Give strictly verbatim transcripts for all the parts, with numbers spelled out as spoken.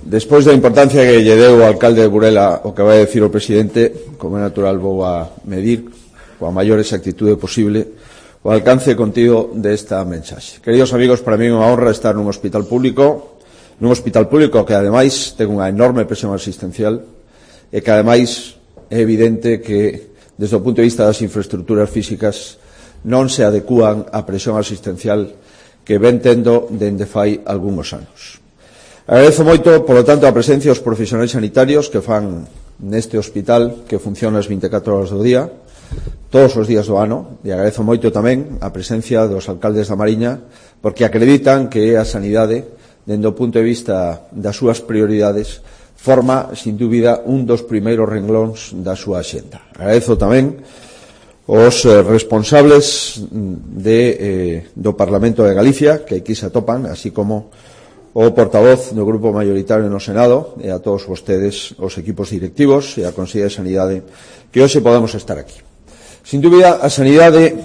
Despois da importancia que lle deu o alcalde de Burela o que vai decir o presidente, como é natural, vou a medir coa maior exactitude posible o alcance e contido desta mensaxe. Queridos amigos, para mí é unha honra estar nun hospital público, nun hospital público que ademais ten unha enorme presión asistencial e que ademais é evidente que desde o punto de vista das infraestructuras físicas non se adecúan á presión asistencial que ven tendo dende fai algúns anos. Agradezo moito, polo tanto, a presencia dos profesionais sanitarios que fan neste hospital que funciona as veinticatro horas do día, todos os días do ano, e agradezo moito tamén a presencia dos alcaldes da Mariña, porque acreditan que a sanidade, dende o punto de vista das súas prioridades, forma, sin dúbida, un dos primeiros renglóns da súa axenda. Agradezo tamén os eh, responsables de, eh, do Parlamento de Galicia, que aquí se atopan, así como o portavoz do Grupo Mayoritario no Senado, e a todos vostedes, os equipos directivos e a Consellería de Sanidade, que hoxe podemos estar aquí. Sin dúbida, a sanidade,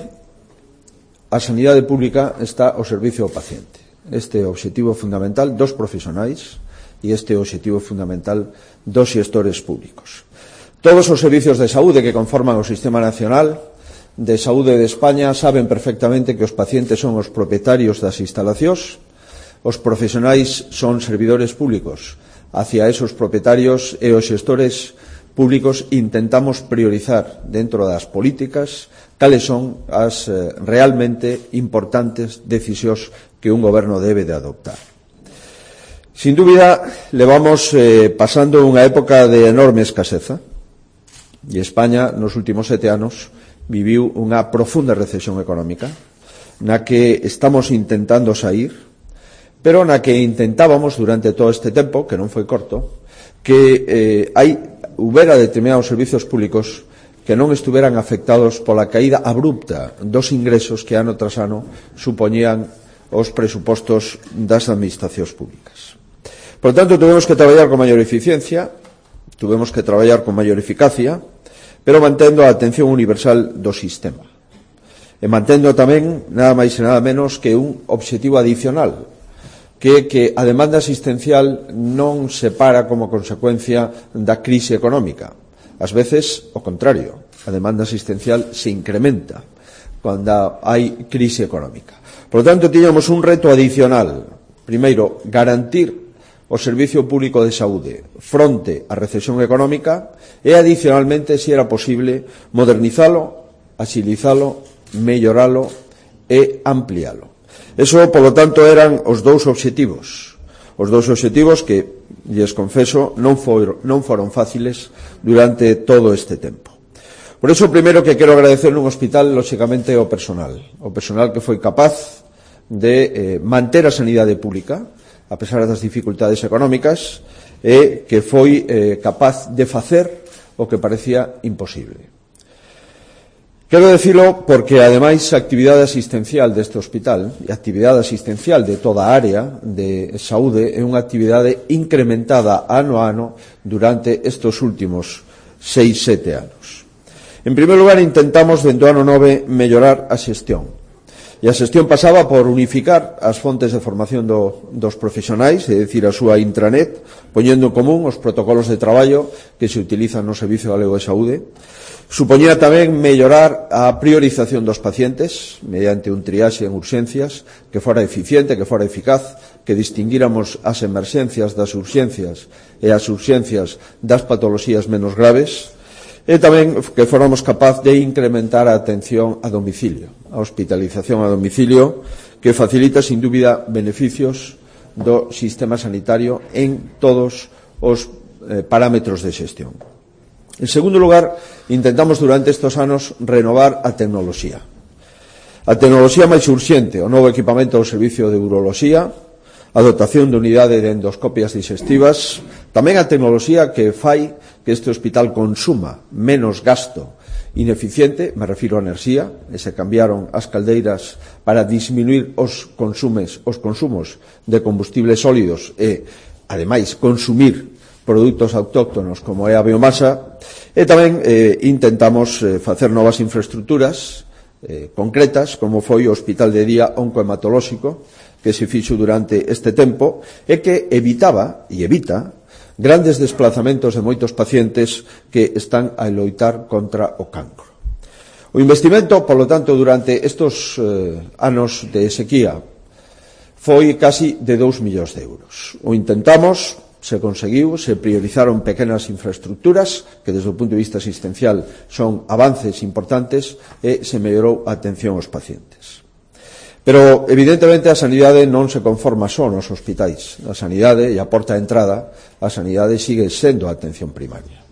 a sanidade pública está ao servicio do paciente. Este é o obxectivo fundamental dos profesionais e este é o obxectivo fundamental dos xestores públicos. Todos os servicios de saúde que conforman o Sistema Nacional de Saúde de España saben perfectamente que os pacientes son os propietarios das instalacións. Os profesionais son servidores públicos. Hacia esos propietarios e os xestores públicos intentamos priorizar dentro das políticas cales son as eh, realmente importantes decisións que un goberno debe de adoptar. Sin dúbida, levamos eh, pasando unha época de enorme escaseza e España nos últimos sete anos viviu unha profunda recesión económica na que estamos intentando sair, pero na que intentábamos durante todo este tempo, que non foi corto, que eh, hai houbera determinados servizos públicos que non estuveran afectados pola caída abrupta dos ingresos que ano tras ano supoñían os presupostos das administracións públicas. Por tanto, tuvemos que traballar con maior eficiencia, tuvemos que traballar con maior eficacia, pero mantendo a atención universal do sistema. E mantendo tamén, nada máis e nada menos, que un obxectivo adicional, que, que a demanda asistencial non se para como consecuencia da crise económica. Ás veces, o contrario, a demanda asistencial se incrementa cando hai crise económica. Por lo tanto, tiñamos un reto adicional. Primeiro, garantir o servicio público de saúde fronte á recesión económica e, adicionalmente, se era posible, modernizalo, axilizalo, melloralo e amplialo. Eso, polo tanto, eran os dous obxectivos. Os dous obxectivos que, lles confeso, non foron, non foron fáciles durante todo este tempo. Por iso, o primeiro que quero agradecer nun hospital, lóxicamente, o personal. O personal que foi capaz de eh, manter a sanidade pública, a pesar das dificultades económicas, e que foi eh, capaz de facer o que parecía imposible. Quero dicilo porque, ademais, a actividade asistencial deste hospital e a actividade asistencial de toda a área de saúde é unha actividade incrementada ano a ano durante estes últimos seis, sete anos. En primeiro lugar, intentamos, dentro do ano nove, mellorar a xestión. E a xestión pasaba por unificar as fontes de formación do, dos profesionais, é dicir, a súa intranet, poñendo en común os protocolos de traballo que se utilizan no Servicio Galego de Saúde. Supoñía tamén mellorar a priorización dos pacientes mediante un triaxe en urxencias que fora eficiente, que fora eficaz, que distinguíramos as emerxencias das urxencias e as urxencias das patoloxías menos graves, e tamén que fóramos capaz de incrementar a atención a domicilio, a hospitalización a domicilio, que facilita, sin dúbida, beneficios do sistema sanitario en todos os eh, parámetros de xestión. En segundo lugar, intentamos durante estes anos renovar a tecnoloxía. A tecnoloxía máis urxente, o novo equipamento do Servicio de Uroloxía, a dotación de unidade de endoscopias digestivas, tamén a tecnoloxía que fai que este hospital consuma menos gasto ineficiente, me refiro a enerxía, e se cambiaron as caldeiras para disminuir os consumes, os consumos de combustibles sólidos e, ademais, consumir produtos autóctonos como é a biomasa, e tamén eh, intentamos eh, facer novas infraestructuras eh, concretas, como foi o Hospital de Día Oncohematolóxico, que se fixo durante este tempo e que evitaba, e evita, grandes desplazamentos de moitos pacientes que están a loitar contra o cancro. O investimento, polo tanto, durante estes eh, anos de sequía foi casi de dous millóns de euros. O intentamos, se conseguiu, se priorizaron pequenas infraestructuras que desde o punto de vista asistencial son avances importantes e se mellorou a atención aos pacientes. Pero, evidentemente, a sanidade non se conforma só nos hospitais. A sanidade, e a porta de entrada, a sanidade sigue sendo a atención primaria.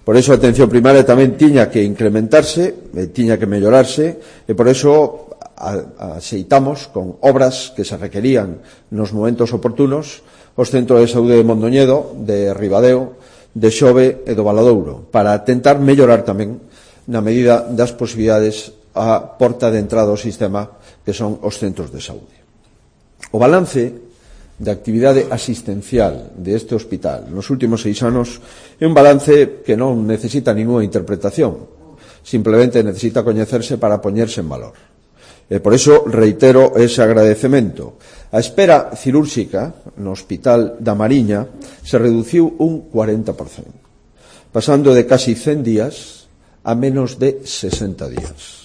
Por eso a atención primaria tamén tiña que incrementarse, e tiña que mellorarse, e por eso axeitamos con obras que se requerían nos momentos oportunos os centros de saúde de Mondoñedo, de Ribadeo, de Xove e do Valadouro, para tentar mellorar tamén, na medida das posibilidades, a porta de entrada ao sistema que son os centros de saúde. O balance de actividade asistencial deste hospital nos últimos seis anos é un balance que non necesita ninguna interpretación, simplemente necesita coñecerse para poñerse en valor. E por iso reitero ese agradecemento. A espera cirúrxica no Hospital da Mariña se reduciu un cuarenta por cento, pasando de casi cen días a menos de sesenta días.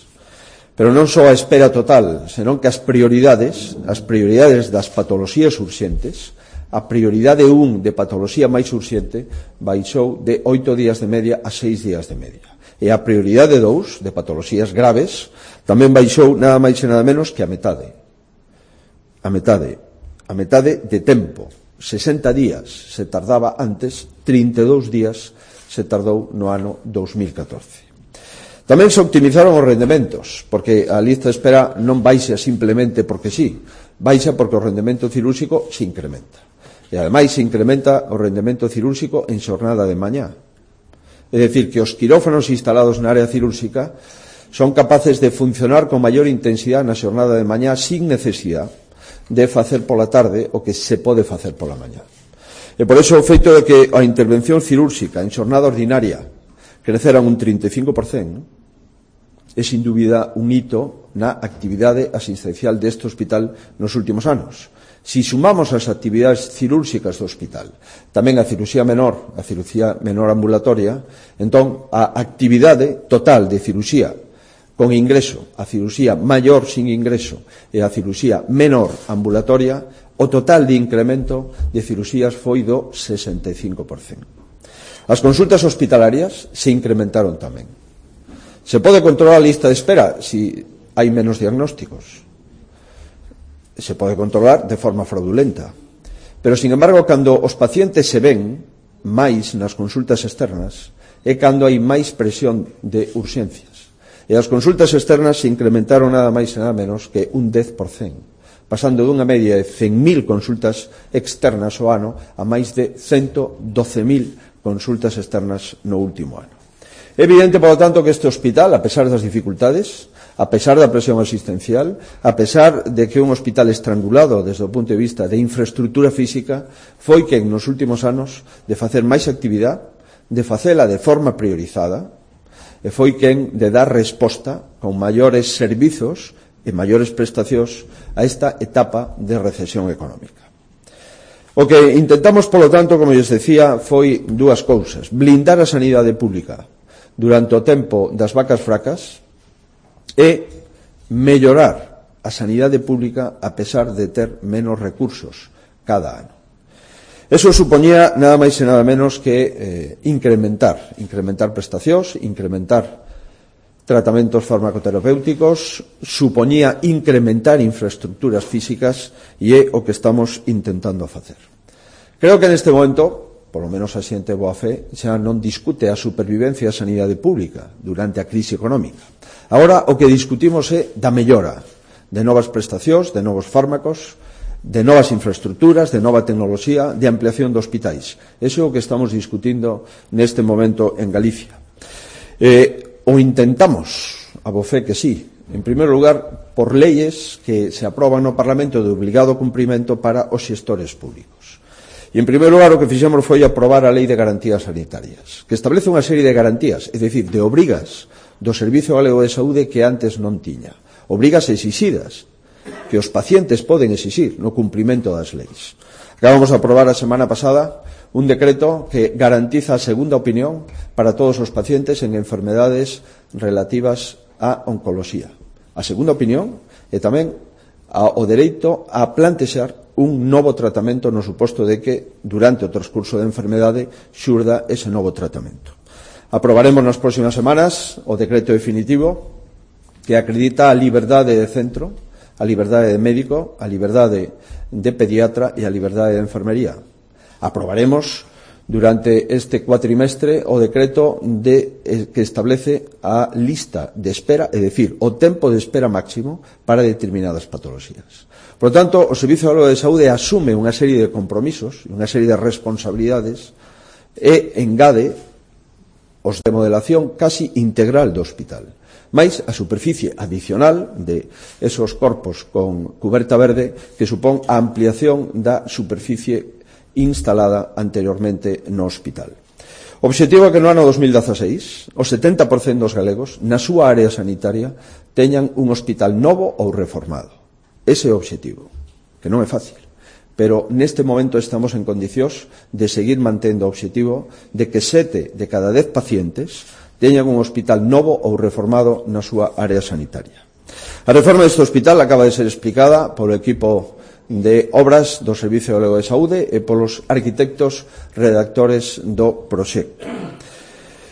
Pero non só a espera total, senón que as prioridades, as prioridades das patoloxías urxentes, a prioridade un de patoloxía máis urxente baixou de oito días de media a seis días de media. E a prioridade dous de patoloxías graves tamén baixou nada máis e nada menos que a metade. A metade. A metade de tempo. sesenta días se tardaba antes, trinta e dous días se tardou no ano dos mil catorce. Tamén se optimizaron os rendementos, porque a lista de espera non baixa simplemente porque sí, baixa porque o rendemento cirúrxico se incrementa. E ademais se incrementa o rendemento cirúrxico en xornada de mañá. É dicir, que os quirófanos instalados na área cirúrxica son capaces de funcionar con maior intensidade na xornada de mañá sin necesidade de facer pola tarde o que se pode facer pola mañá. E por iso o feito de que a intervención cirúrxica en xornada ordinaria creceran un trinta e cinco por cento é sin dúbida un hito na actividade asistencial deste hospital nos últimos anos. Si sumamos as actividades cirúrxicas do hospital, tamén a cirurxía menor, a cirurxía menor ambulatoria, entón a actividade total de cirurxía con ingreso, a cirurxía maior sin ingreso e a cirurxía menor ambulatoria, o total de incremento de cirurxías foi do sesenta e cinco por cento. As consultas hospitalarias se incrementaron tamén. Se pode controlar a lista de espera si hai menos diagnósticos. Se pode controlar de forma fraudulenta. Pero, sin embargo, cando os pacientes se ven máis nas consultas externas é cando hai máis presión de urxencias. E as consultas externas se incrementaron nada máis e nada menos que un dez por cento, pasando dunha media de cen mil consultas externas ao ano a máis de ciento doce mil consultas externas no último ano. É evidente, por lo tanto, que este hospital, a pesar das dificultades, a pesar da presión asistencial, a pesar de que un hospital estrangulado desde o punto de vista de infraestructura física, foi que nos últimos anos de facer máis actividade, de facela de forma priorizada, e foi quen de dar resposta con maiores servizos e maiores prestacións a esta etapa de recesión económica. O que intentamos, polo tanto, como lles decía, foi dúas cousas: blindar a sanidade pública durante o tempo das vacas fracas e mellorar a sanidade pública a pesar de ter menos recursos cada ano. Eso supoñía nada máis e nada menos que eh, incrementar, incrementar prestacións, incrementar tratamentos farmacoterapéuticos, supoñía incrementar infraestructuras físicas e é o que estamos intentando facer. Creo que neste momento, por lo menos a xente boa fe, xa non discute a supervivencia da sanidade pública durante a crise económica. Agora o que discutimos é da mellora de novas prestacións, de novos fármacos, de novas infraestructuras, de nova tecnoloxía, de ampliación de hospitais. Eso é o que estamos discutindo neste momento en Galicia. Eh, o intentamos, a bo fe que sí, en primeiro lugar, por leyes que se aproban no Parlamento de obligado cumprimento para os xestores públicos. E, en primeiro lugar, o que fixemos foi aprobar a Lei de Garantías Sanitarias, que establece unha serie de garantías, é dicir, de obrigas do Servizo Galego de Saúde que antes non tiña. Obrigas exixidas, que os pacientes poden exixir no cumprimento das leis. Acabamos de aprobar a semana pasada un decreto que garantiza a segunda opinión para todos os pacientes en enfermedades relativas á oncoloxía. A segunda opinión e tamén o dereito a plantexar un novo tratamento no suposto de que durante o transcurso da enfermedade xurda ese novo tratamento. Aprobaremos nas próximas semanas o decreto definitivo que acredita a liberdade de centro, a liberdade de médico, a liberdade de pediatra e a liberdade de enfermería. Aprobaremos durante este cuatrimestre o decreto de, eh, que establece a lista de espera, é dicir, o tempo de espera máximo para determinadas patoloxías. Por lo tanto, o Servicio Galego de Saúde asume unha serie de compromisos, unha serie de responsabilidades e engade os de modelación casi integral do hospital. Mais a superficie adicional de esos corpos con cuberta verde que supón a ampliación da superficie instalada anteriormente no hospital. O obxectivo é que no ano dos mil dieciséis o setenta por cento dos galegos na súa área sanitaria teñan un hospital novo ou reformado. Ese é o obxectivo, que non é fácil, pero neste momento estamos en condicións de seguir mantendo o obxectivo de que sete de cada dez pacientes teñan un hospital novo ou reformado na súa área sanitaria. A reforma deste hospital acaba de ser explicada polo equipo de obras do Servicio Galego de Saúde e polos arquitectos redactores do proxecto.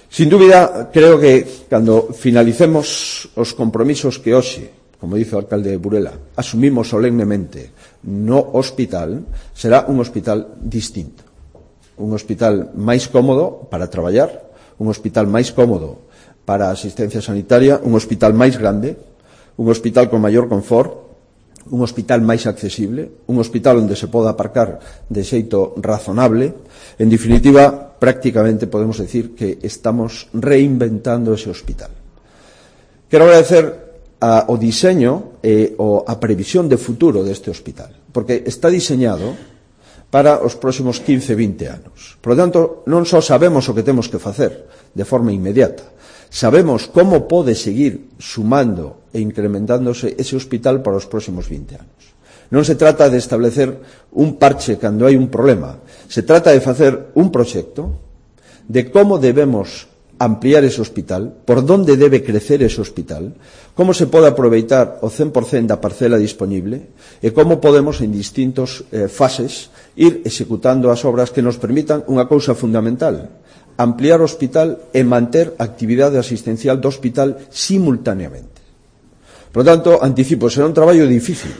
Sin dúbida, creo que cando finalicemos os compromisos que hoxe, como dice o alcalde de Burela, asumimos solemnemente no hospital, será un hospital distinto. Un hospital máis cómodo para traballar, un hospital máis cómodo para a asistencia sanitaria, un hospital máis grande, un hospital con maior confort, un hospital máis accesible, un hospital onde se poda aparcar de xeito razonable. En definitiva, prácticamente podemos decir que estamos reinventando ese hospital. Quero agradecer a, o diseño e o, a previsión de futuro deste hospital, porque está diseñado para os próximos quince, vinte anos. Por lo tanto, non só sabemos o que temos que facer de forma inmediata, sabemos como pode seguir sumando e incrementándose ese hospital para os próximos vinte anos. Non se trata de establecer un parche cando hai un problema, se trata de facer un proxecto de como debemos ampliar ese hospital, por donde debe crecer ese hospital, como se pode aproveitar o cen por cento da parcela disponible e como podemos en distintos eh, fases ir executando as obras que nos permitan unha cousa fundamental, ampliar o hospital e manter a actividade asistencial do hospital simultaneamente. Por lo tanto, anticipo, será un traballo difícil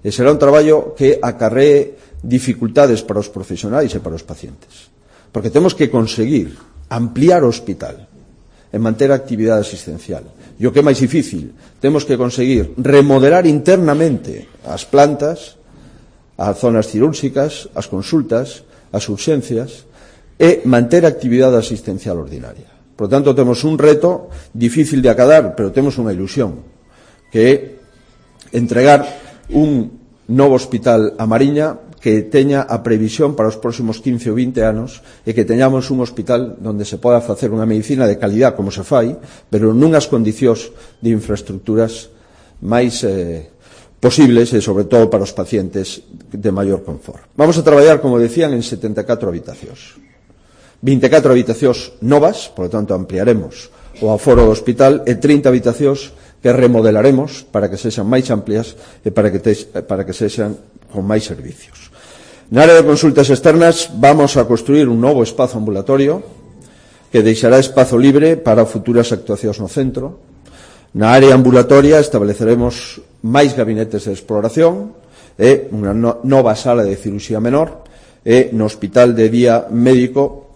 e será un traballo que acarree dificultades para os profesionais e para os pacientes, porque temos que conseguir ampliar o hospital e manter a actividade asistencial. E o que é máis difícil, temos que conseguir remodelar internamente as plantas, as zonas cirúrxicas, as consultas, as urxencias e manter a actividade asistencial ordinaria. Por lo tanto, temos un reto difícil de acadar, pero temos unha ilusión, que é entregar un novo hospital a Mariña que teña a previsión para os próximos quince ou vinte anos e que teñamos un hospital onde se poda facer unha medicina de calidad como se fai, pero nunhas condicións de infraestructuras máis eh, posibles e, sobre todo, para os pacientes de maior confort. Vamos a traballar, como decían, en setenta e catro habitacións. vinte e catro habitacións novas, por lo tanto, ampliaremos o aforo do hospital e trinta habitacións que remodelaremos para que sexan máis amplias e para que, te, para que sexan con máis servicios. Na área de consultas externas vamos a construir un novo espazo ambulatorio que deixará espazo libre para futuras actuacións no centro. Na área ambulatoria estableceremos máis gabinetes de exploración e unha no, nova sala de cirurxía menor e no hospital de día médico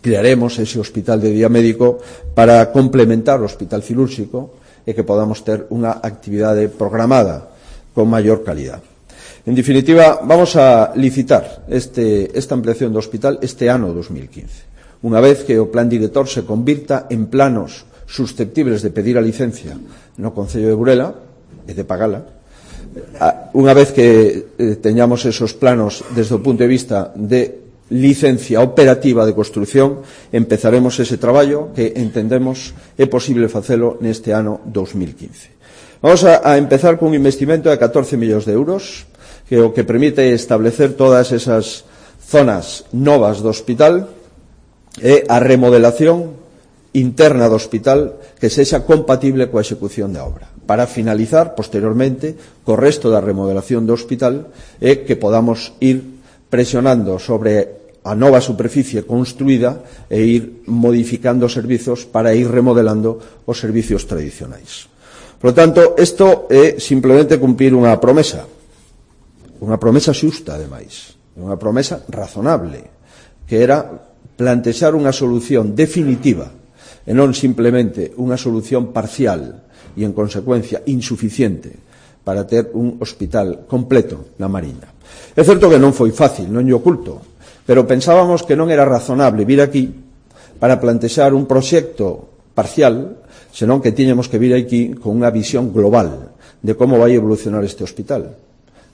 crearemos ese hospital de día médico para complementar o hospital cirúrxico e que podamos ter unha actividade programada con maior calidad. En definitiva, vamos a licitar este, esta ampliación do hospital este ano dos mil quince. Unha vez que o plan director se convirta en planos susceptibles de pedir a licencia no Concello de Burela e de pagala, unha vez que eh, teñamos esos planos desde o punto de vista de licencia operativa de construción, empezaremos ese traballo que entendemos é posible facelo neste ano dos mil quince. Vamos a, a empezar con un investimento de catorce millóns de euros, que o que permite establecer todas esas zonas novas do hospital e a remodelación interna do hospital que sexa compatible coa execución da obra, para finalizar posteriormente co resto da remodelación do hospital e que podamos ir presionando sobre a nova superficie construída e ir modificando os servizos para ir remodelando os servicios tradicionais. Por lo tanto, isto é simplemente cumprir unha promesa, unha promesa xusta, ademais, unha promesa razonable, que era plantexar unha solución definitiva e non simplemente unha solución parcial e, en consecuencia, insuficiente para ter un hospital completo na Mariña. É certo que non foi fácil, non lle oculto, pero pensábamos que non era razonable vir aquí para plantexar un proxecto parcial, senón que tiñamos que vir aquí con unha visión global de como vai evolucionar este hospital,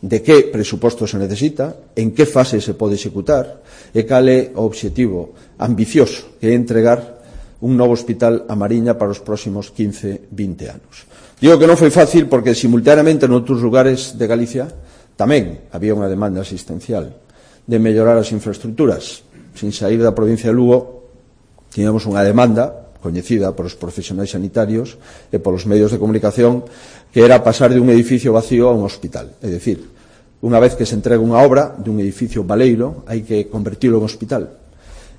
de que presuposto se necesita, en que fase se pode executar e cal é o obxectivo ambicioso que é entregar un novo hospital a Mariña para os próximos quince, vinte anos. Digo que non foi fácil porque simultaneamente noutros lugares de Galicia tamén había unha demanda asistencial de mellorar as infraestructuras. Sin sair da provincia de Lugo, tiñamos unha demanda coñecida por os profesionais sanitarios e polos medios de comunicación, que era pasar de un edificio vacío a un hospital. É dicir, unha vez que se entrega unha obra de un edificio baleiro, hai que convertirlo en hospital.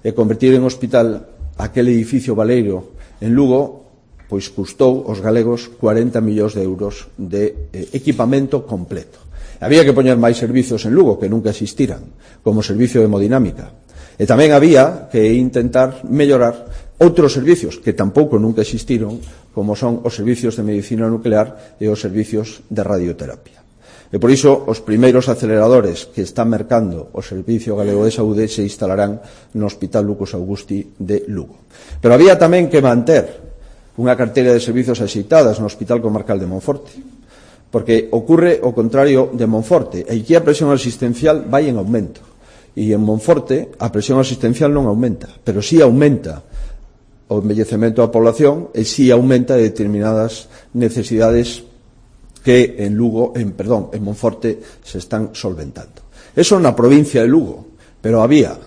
E convertir en hospital aquel edificio baleiro en Lugo, pois custou aos galegos cuarenta millóns de euros de eh, equipamento completo. Había que poñer máis servizos en Lugo que nunca existiran, como servicio de hemodinámica. E tamén había que intentar mellorar outros servicios que tampouco nunca existiron, como son os servicios de medicina nuclear e os servicios de radioterapia. E por iso os primeiros aceleradores que están mercando o Servicio Galego de Saúde se instalarán no Hospital Lucas Augusti de Lugo. Pero había tamén que manter unha carteira de servizos axeitadas no Hospital Comarcal de Monforte, porque ocurre o contrario de Monforte. Aquí a presión asistencial vai en aumento. E en Monforte a presión asistencial non aumenta, pero sí aumenta o envellecemento da población e sí aumenta determinadas necesidades que en Lugo, en, perdón, en Monforte se están solventando. Eso na provincia de Lugo, pero había,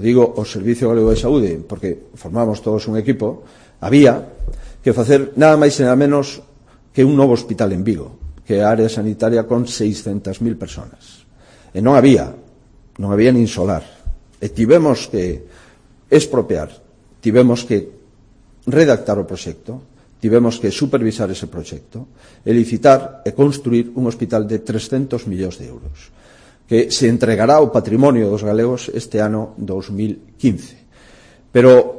digo, o Servicio Galego de Saúde, porque formamos todos un equipo, había que facer nada máis e nada menos que un novo hospital en Vigo, que é a área sanitaria con seiscentas mil personas. E non había, non había nin solar. E tivemos que expropiar, tivemos que redactar o proxecto, tivemos que supervisar ese proxecto e licitar e construir un hospital de trescentos millóns de euros que se entregará ao patrimonio dos galegos este ano dos mil quince. Pero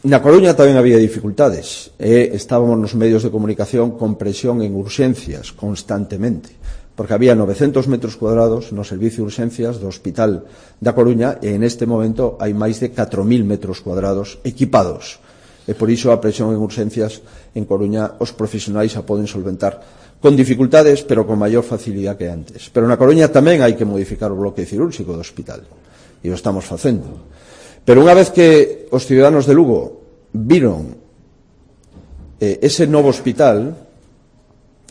na Coruña tamén había dificultades e estábamos nos medios de comunicación con presión en urxencias constantemente, porque había novecentos metros cuadrados no servicio de urxencias do Hospital da Coruña e en este momento hai máis de catro mil metros cuadrados equipados. E por iso a presión en urxencias en Coruña os profesionais a poden solventar con dificultades, pero con maior facilidade que antes. Pero na Coruña tamén hai que modificar o bloque cirúrxico do hospital e o estamos facendo. Pero unha vez que os ciudadanos de Lugo viron eh, ese novo hospital,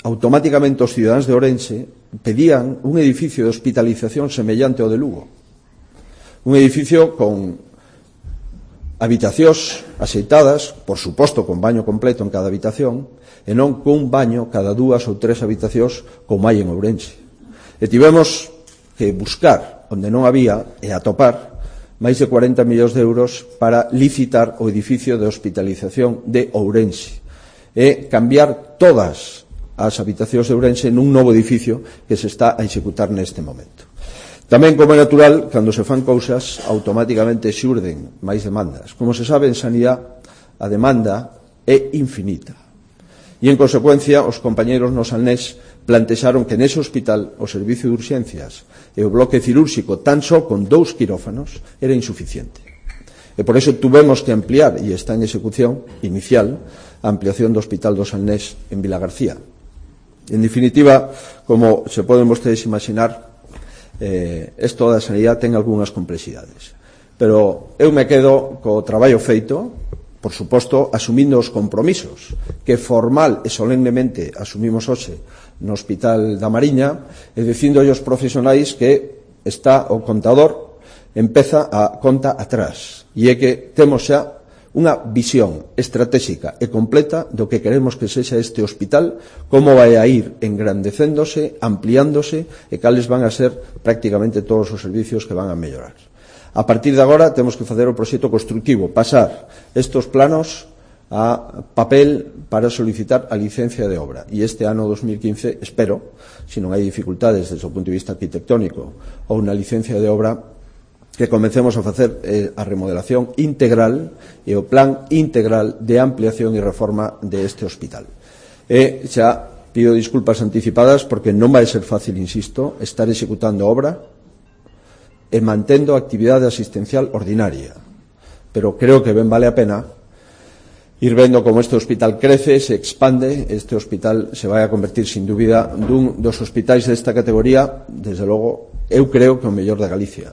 automáticamente os ciudadanos de Ourense pedían un edificio de hospitalización semellante ao de Lugo. Un edificio con habitacións axeitadas, por suposto con baño completo en cada habitación, e non cun baño cada dúas ou tres habitacións como hai en Ourense. E tivemos que buscar onde non había e atopar máis de cuarenta millóns de euros para licitar o edificio de hospitalización de Ourense e cambiar todas as habitacións de Ourense nun novo edificio que se está a executar neste momento. Tamén, como é natural, cando se fan cousas, automáticamente xurden máis demandas. Como se sabe, en sanidade, a demanda é infinita. E, en consecuencia, os compañeros no Salnés plantexaron que nese hospital o servicio de urxencias e o bloque cirúrxico tan só con dous quirófanos era insuficiente. E por iso tuvemos que ampliar, e está en execución inicial, a ampliación do Hospital do Salnés en Vilagarcía. En definitiva, como se poden vostedes imaginar, eh, isto da sanidade ten algunhas complexidades. Pero eu me quedo co traballo feito, por suposto, asumindo os compromisos que formal e solemnemente asumimos hoxe no Hospital da Mariña, e dicindo aos profesionais que está o contador empeza a conta atrás, e é que temos xa unha visión estratégica e completa do que queremos que sexa este hospital, como vai a ir engrandecéndose, ampliándose e cales van a ser prácticamente todos os servicios que van a mellorar. A partir de agora temos que facer o proxecto constructivo, pasar estes planos a papel para solicitar a licencia de obra. E este ano dos mil quince, espero, se non hai dificultades desde o punto de vista arquitectónico ou unha licencia de obra, que comencemos a facer eh, a remodelación integral e o plan integral de ampliación e reforma deste hospital. E xa pido disculpas anticipadas porque non vai ser fácil, insisto, estar executando obra e mantendo a actividade asistencial ordinaria. Pero creo que ben vale a pena ir vendo como este hospital crece, se expande. Este hospital se vai a convertir, sin dúbida, dun dos hospitais desta categoría, desde logo, eu creo que o mellor da Galicia.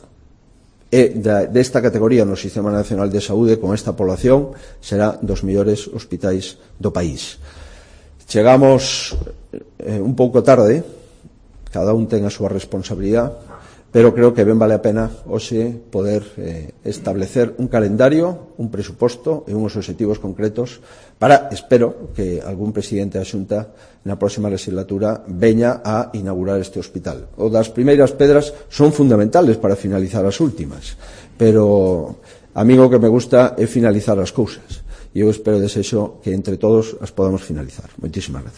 E desta categoría no Sistema Nacional de Saúde, con esta población, será dos mellores hospitais do país. Chegamos eh, un pouco tarde, cada un ten a súa responsabilidade, pero creo que ben vale a pena hoxe poder eh, establecer un calendario, un presuposto e uns obxectivos concretos para, espero, que algún presidente da Xunta na próxima legislatura veña a inaugurar este hospital. O das primeiras pedras son fundamentales para finalizar as últimas, pero a mí o que me gusta é finalizar as cousas, e eu espero e desexo que entre todos as podamos finalizar. Moitísimas gracias.